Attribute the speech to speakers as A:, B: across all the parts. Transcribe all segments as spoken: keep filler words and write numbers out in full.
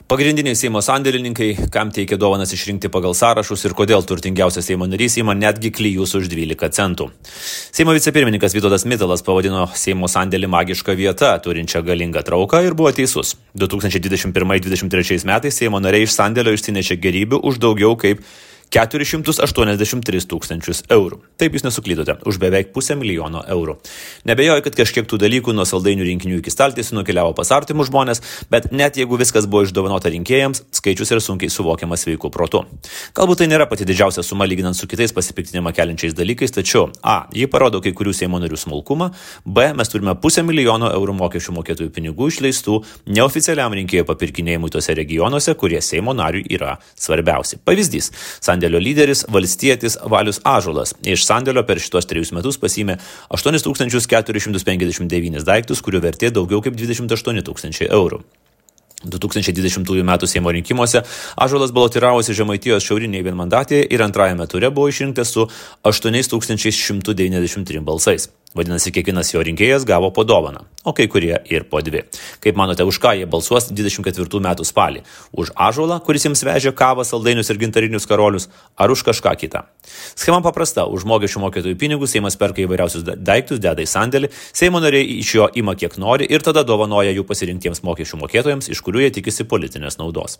A: Pagrindiniai Seimo sandėlininkai, kam teikia dovanas išrinkti pagal sąrašus ir kodėl turtingiausias Seimo narys ima netgi klijus už dvylika centų. Seimo vicepirmininkas Vytautas Mitalas pavadino Seimo sandėlį magišką vietą, turinčią galingą trauką ir buvo teisus. du tūkstančiai dvidešimt pirmais dvidešimt trečiais metais Seimo nariai iš sandėlio išsinešė gėrybių už daugiau kaip keturis šimtus aštuoniasdešimt tris tūkstančius eurų. Taip jūs nesuklydote, už beveik pusę milijono eurų. Nebejoju, kad kažkiek tų dalykų nuo saldainių rinkinių iki staltiesių nukeliavo pas artimus žmonės, bet net jeigu viskas buvo išdovanota rinkėjams, skaičius yra sunkiai suvokiamas sveiku protu. Galbūt tai nėra pati didžiausia suma lyginant su kitais pasipiktinimą keliančiais dalykais, tačiau a. ji parodo kai kurių Seimo narių smulkumą, b. mes turime pusę milijono eurų mokesčių mokėtojų pinigų išleistų neoficialiam rinkėjų papirkinėjimui tose regionuose, kurie Seimo nariui yra svarbiausi. Pavyzdys. Sandėlio lyderis, valstietis Valius Ąžuolas iš sandėlio per šitos trejus metus pasiėmė aštuonis tūkstančius keturis šimtus penkiasdešimt devynis daiktus, kurių vertė daugiau kaip dvidešimt aštuoni tūkstančiai eurų. du tūkstančiai dvidešimtųjų metų Seimo rinkimuose Ąžuolas balotiravosi Žemaitijos šiaurinėje vienmandatėje ir antrajame ture buvo išrinktas su aštuonis tūkstančius šimtu devyniasdešimt trim balsais. Vadinasi, kiekvienas jo rinkėjas gavo po dovaną, o kai kurie ir po dvi. Kaip manote, už ką jie balsuos dvidešimt ketvirtų metų spalį? Už Ąžuolą, kuris jiems vežė kavą, saldainius ir gintarinius karolius, ar už kažką kitą? Schema paprasta. Už mokesčių mokėtojų pinigus Seimas perka įvairiausius daiktus, deda į sandėlį, Seimo nariai iš jo ima kiek nori ir tada dovanoja jų pasirinktiems mokesčių mokėtojams, iš kurių jie tikisi politinės naudos.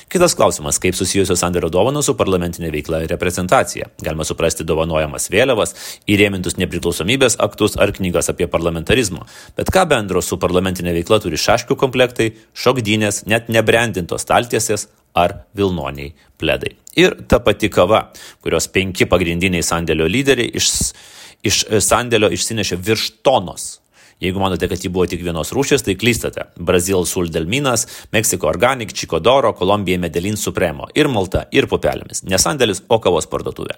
A: Kitas klausimas, kaip susijusios sandėlio dovanos su parlamentinė veikla ir reprezentacija. Galima suprasti dovanojamas vėliavas, įrėmintus nepriklausomybės aktus ar knygas apie parlamentarizmą. Bet ką bendro su parlamentinė veikla turi šaškių komplektai, šokdynės, net nebrandintos staltiesės ar vilnoniai pledai. Ir ta pati kava, kurios penki pagrindiniai sandėlio lyderiai iš, iš sandėlio išsinešė virš tonos. Jeigu manote, kad ji buvo tik vienos rūšės, tai klystate. Brazil Sul del Minas, Meksiko Organic, Chicodoro, Kolumbija Medellin Supremo ir Malta ir pupelėmis. Ne sandėlis, o kavos parduotuvė.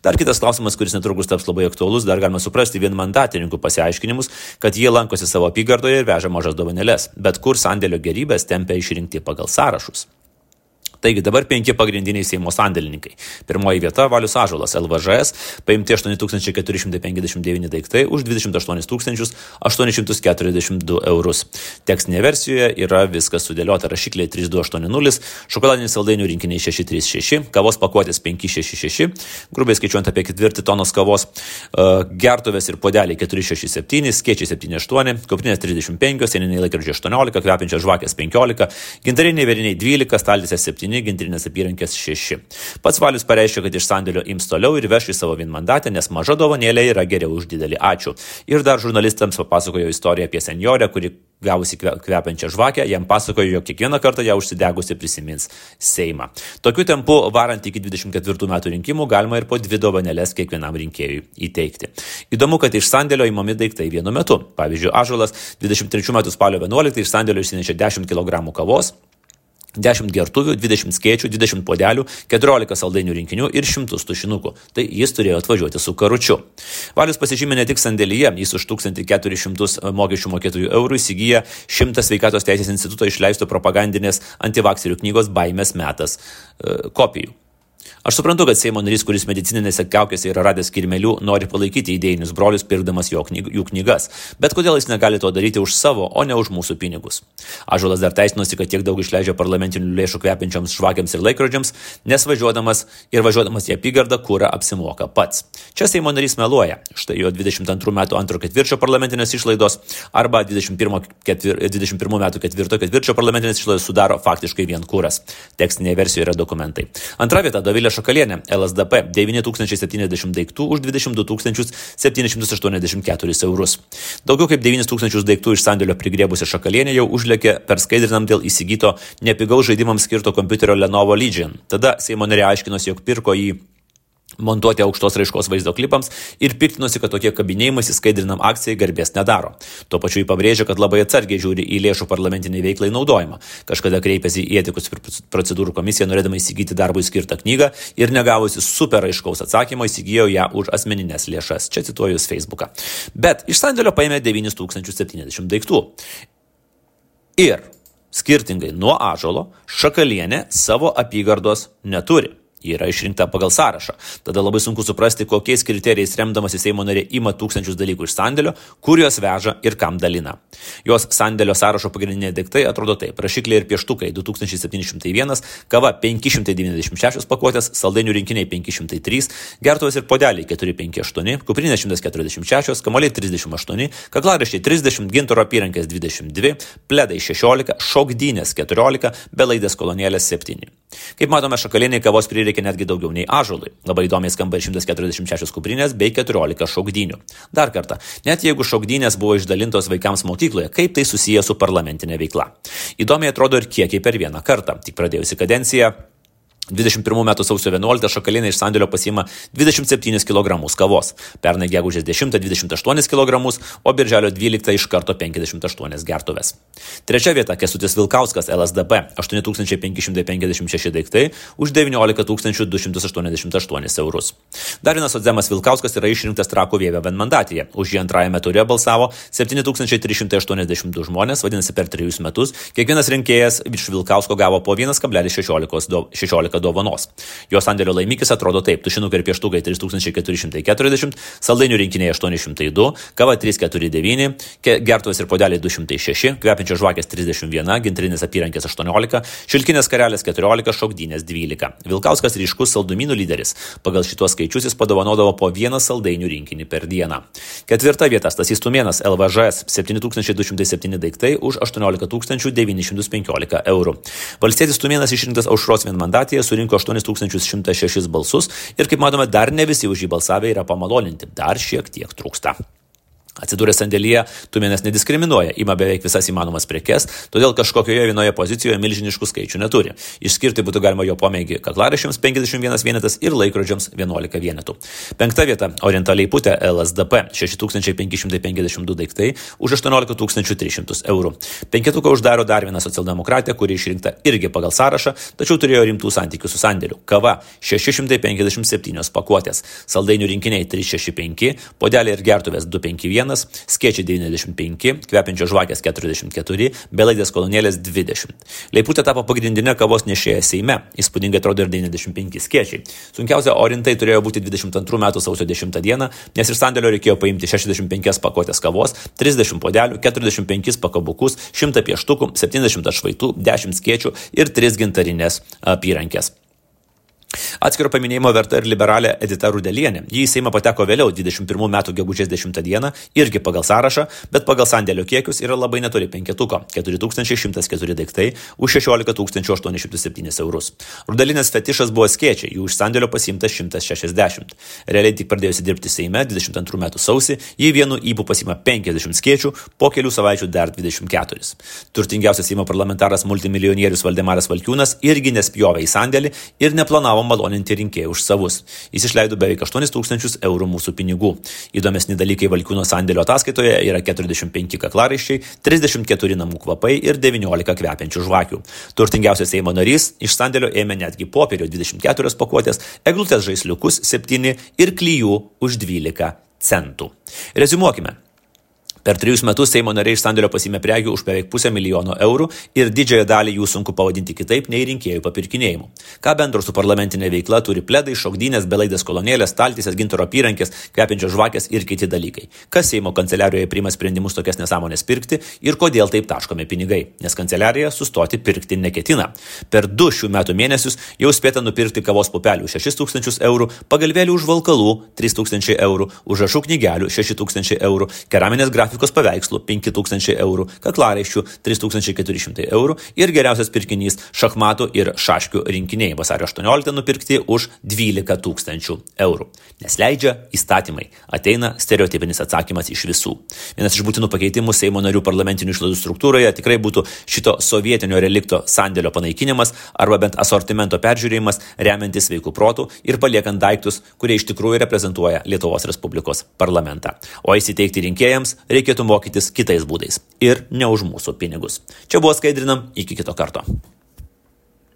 A: Dar kitas klausimas, kuris netrukus taps labai aktualus, dar galima suprasti vienmandatininkų pasiaiškinimus, kad jie lankosi savo apygardoje ir veža mažas dovanėles, bet kur sandėlio gerybės tempia išrinkti pagal sąrašus. Taigi dabar penki pagrindiniai Seimo sandėlininkai. Pirmoji vieta Valius Ąžuolas, L V Ž S, paimti aštuoni tūkstančiai keturi šimtai penkiasdešimt devyni daiktai už dvidešimt aštuonis tūkstančius aštuonis šimtus keturiasdešimt du eurus. Tekstinėje versijoje yra viskas sudėliota rašikliai trys du aštuoni nulis, šokoladiniai saldainių rinkiniai šeši trys šeši, kavos pakuotės penki šeši šeši, grubiai skaičiuojant apie ketvirtį tonos kavos, gertuvės ir podeliai keturi šeši septyni, skėčiai septyni aštuoni, kuprinės trisdešimt penki, sieniniai laikrodžiai aštuoniolika, kvepiančios žvakės penkiolika, gintariniai vėriniai dvylika, staltiesės septyni, gintarinės apyrankės šeši. Pats Valius pareiškė, kad iš sandėlio ims toliau ir veš į savo vienmandatę, nes maža dovanėlė yra geriau už didelį ačiū. Ir dar žurnalistams papasakojo istoriją apie senjorę, kuri gavusi kvepiančią žvakę, jam pasakojo, jog kiekvieną kartą ją užsidegusi prisimins Seimą. Tokiu tempu, varant iki dvidešimt ketvirtų metų rinkimų, galima ir po dvi dovanėlės kiekvienam rinkėjui įteikti. Įdomu, kad iš sandėlio įmami daiktai vienu metu. Pavyzdžiui, Ąžuolas dvidešimt trečių metų spalio vienuoliktą iš sandėlio išsinešė dešimt kilogramų kavos, dešimt gertuvių, dvidešimt skėčių, dvidešimt podelių, keturiolika saldainių rinkinių ir šimtus tušinukų. Tai jis turėjo atvažiuoti su karučiu. Valius pasižymė ne tik sandėlyje, jis už tūkstantį keturis šimtus mokesčių mokėtojų eurų įsigyja šimtą sveikatos teisės instituto išleisto propagandinės antivakserių knygos Baimės metas e, kopijų. Aš suprantu, kad Seimo narys, kuris medicininėse kaukėse yra radęs kirmelių, nori palaikyti idėjinius brolius, pirkdamas jo knyg, jų knygas. Bet kodėl jis negali to daryti už savo, o ne už mūsų pinigus? Ąžuolas dar teisinosi, kad tiek daug išleidžia parlamentinių lėšų kvepiančiams žvakiams ir laikrodžiams, nes važiuodamas ir važiuodamas į apygardą kurą apsimoka pats. Čia Seimo narys meluoja. Štai jo dvidešimt antrų metų antro ketvirčio parlamentinės išlaidos arba dvidešimt pirmų metų ketvirto ketvirčio parlamentinės išlaidos sudaro faktiškai vien kuras. Tekstinėje versijoje yra dokumentai. Antra vieta Dovilė Šakalienė, L S D P, devyni tūkstančiai septyniasdešimt daiktų už dvidešimt du tūkstančius septynis šimtus aštuoniasdešimt keturis eurus. Daugiau kaip devynis tūkstančius daiktų iš sandėlio prigrėbusi Šakalienė jau užlėkė perskaidrinam dėl įsigyto nepigaus žaidimams skirto kompiuterio Lenovo Legion. Tada Seimo narė aiškinosi, jog pirko jį montuoti aukštos raiškos vaizdo klipams ir piktinosi, kad tokie kabinėjimas įskaidrinam akcijai garbės nedaro. Tuo pačiu jį pabrėžia, kad labai atsargiai žiūri į lėšų parlamentiniai veiklai naudojimą. Kažkada kreipėsi į etikos procedūrų komisiją, norėdama įsigyti darbui skirtą knygą ir negavusi super aiškaus atsakymo įsigijo ją už asmeninės lėšas. Čia cituoju Facebooką. Bet iš sandėlio paėmė devynis tūkstančius septyniasdešimt daiktų. Ir skirtingai nuo Ąžuolo, Šakalienė savo apygardos neturi. Ji yra išrinkta pagal sąrašą. Tada labai sunku suprasti, kokiais kriterijais remdamasi Seimo narė ima tūkstančius dalykų iš sandėlio, kur juos veža ir kam dalina. Jos sandėlio sąrašo pagrindiniai daiktai atrodo taip: rašikliai ir pieštukai du tūkstančiai septyni šimtai vienas, kava penki šimtai devyniasdešimt šešios pakuotės, saldainių rinkiniai penki šimtai trys, gertuvės ir podeliai keturi penki aštuoni, kuprinės šimtas keturiasdešimt šešios, kamuoliai trisdešimt aštuoni, kaklaraiščiai trisdešimt, gintaro apyrankės dvidešimt dvi, pledai šešiolika, šokdynės keturiolika, belaidės kolonėlės septyni. Kaip matome, šakaliniai kavos prireikia netgi daugiau nei ąžuolui. Labai įdomiai skamba ir šimtas keturiasdešimt šešios kuprinės bei keturiolika šokdynių. Dar kartą, net jeigu šokdynės buvo išdalintos vaikams mokykloje, kaip tai susiję su parlamentinė veikla? Įdomiai atrodo ir kiekiai per vieną kartą. Tik pradėjusi kadenciją, dvidešimt pirmų metų sausio vienuoliktą šakalinai iš sandėlio pasiima dvidešimt septynis kilogramus kavos, pernai gegužės dešimtą dvidešimt aštuonis kilogramus, o birželio dvyliktą iš karto penkiasdešimt aštuonias gertuves. Trečia vieta – Kęstutis Vilkauskas, L S D P, aštuoni tūkstančiai penki šimtai penkiasdešimt šeši daiktai už devyniolika tūkstančių du šimtus aštuoniasdešimt aštuonis eurus. Dar vienas socdemas Vilkauskas yra išrinktas Trakų Vievio vienmandatėje. Už jį antrajame ture balsavo septyni tūkstančiai trys šimtai aštuoniasdešimt du žmonės, vadinasi per trejus metus kiekvienas rinkėjas iš Vilkausko gavo po vienas kablelis šešiolika dovanos. Jo sandėlio laimikis atrodo taip: tušinukai ir pieštukai trys tūkstančiai keturi šimtai keturiasdešimt, saldainių rinkiniai aštuoni šimtai du, kava trys keturi devyni, gertuvės ir podeliai du šimtai šeši, kvepiančios žvakės trisdešimt vienas, gintrinės apyrankės aštuoniolika, šilkinės karelės keturiolika, šokdynės dvylika. Vilkauskas ryškus saldumynų lyderis. Pagal šitos skaičius jis padovanodavo po vieną saldainių rinkinį per dieną. Ketvirta vieta – Stasys Tumėnas, L V Ž S, septyni tūkstančiai du šimtai septyni daiktai už aštuoniolika tūkstančių devynis šimtus penkiolika eurų. Valstietis Tumėnas išrinktas Aušros vienmandatėje surinko aštuonis tūkstančius šimtą šešis balsus ir, kaip matome, dar ne visi už jį balsavę yra pamaloninti, dar šiek tiek trūksta. Atsidūręs sandėlyje, Tumėnas nediskriminuoja, ima beveik visas įmanomas prekes, todėl kažkokioje vienoje pozicijoje milžiniškų skaičių neturi. Išskirti būtų galima jo pomėgį kaklaraiščiams penkiasdešimt vienas vienetas ir laikrodžiams vienuolika vienetų. Penkta vieta – Orientaliai Putė, L S D P, šeši tūkstančiai penki šimtai penkiasdešimt du daiktai už aštuoniolika tūkstančių tris šimtus eurų. Penketuką uždaro dar viena socialdemokratė, kuri išrinkta irgi pagal sąrašą, tačiau turėjo rimtų santykių su sandėliu. Kava šeši šimtai penkiasdešimt septynios pakuotės, saldainių rinkiniai trys šeši penki, podeliai ir gertuvės du penki vienas, skėčiai devyniasdešimt penki, kvepiančios žvakės keturiasdešimt keturi, belaidės kolonėlės dvidešimt. Leiputė tapo pagrindinė kavos nešėja Seime, įspūdingai atrodo ir devyniasdešimt penki skėčiai. Sunkiausia Orintai turėjo būti dvidešimt antrų metų sausio dešimtą dieną, nes iš sandėlio reikėjo paimti šešiasdešimt penkias pakuotės kavos, trisdešimt podelių, keturiasdešimt penkis pakabukus, šimtą pieštukų, septyniasdešimt atšvaitų, dešimt skėčių ir tris gintarinės apyrankės. Atskiro paminėjimo verta ir liberalė Edita Rudelienė. Ji į Seimą pateko vėliau, dvidešimt pirmų metų gegužės dešimtą dieną, irgi pagal sąrašą, bet pagal sandėlio kiekius yra labai netoli penketuko – keturi tūkstančiai šimtas keturi daiktai už šešiolika tūkstančių aštuonis šimtus septynis eurus. Rudelinės fetišas buvo skėčiai, jų iš sandėlio pasiimta šimtas šešiasdešimt. Realiai tik pradėjusi dirbti Seime dvidešimt antrų metų sausį, ji vienu ypu pasiima penkiasdešimt skėčių, po kelių savaičių dar dvidešimt keturis. Turtingiausias Seimo parlamentaras multimilijonierius Valdemaras Valkiūnas irgi nespjovė į sandėlį ir neplanavo maloninti rinkėjų už savus. Jis išleido beveik aštuonis tūkstančius eurų mūsų pinigų. Įdomesni dalykai Valkiūno sandėlio ataskaitoje yra keturiasdešimt penki kaklaraiščiai, trisdešimt keturi namų kvapai ir devyniolika kvepiančių žvakių. Turtingiausias Seimo narys iš sandėlio ėmė netgi popierio dvidešimt keturias pakuotės, eglutės žaisliukus septyni ir klijų už dvylika centų. Reziumuokime. Per trejus metus Seimo nariai iš sandėlio pasiėmė prekių už beveik pusę milijono eurų ir didžiąją dalį jų sunku pavadinti kitaip nei rinkėjų papirkinėjimu. Ką bendro su parlamentinė veikla turi pledai, šokdynės, belaidės kolonėlės, staltiesės, gintaro apyrankės, kvepiančios žvakės ir kiti dalykai? Kas Seimo kanceliarijoje priima sprendimus tokias nesąmonės pirkti ir kodėl taip taškomi pinigai? Nes kanceliarija sustoti pirkti neketina. Per du šių metų mėnesius jau spėta nupirkti kavos pupelių šešis tūkstančius eurų, pagalvėlių už valkalų trys tūkstančiai eurų, užrašų knygelių šeši tūkstančiai eurų, keraminės grafikos paveikslų penki tūkstančiai eurų, kaklaraiščių trys tūkstančiai keturi šimtai eurų ir geriausias pirkinys šachmatų ir šaškių rinkiniai vasario aštuonioliktą nupirkti už dvylika tūkstančių eurų. Nes leidžia įstatymai. Ateina stereotipinis atsakymas iš visų. Vienas iš būtinų pakeitimų Seimo narių parlamentinių išlaidų struktūroje tikrai būtų šito sovietinio relikto sandėlio panaikinimas arba bent asortimento peržiūrėjimas remiantis sveikų protų ir paliekant daiktus, kurie iš tikrųjų reprezentuoja Lietuvos Respublikos parlamentą. O įsiteikti rinkėjams reikia reikėtų mokytis kitais būdais ir ne už mūsų pinigus. Čia buvo Skaidrinam, iki kito karto.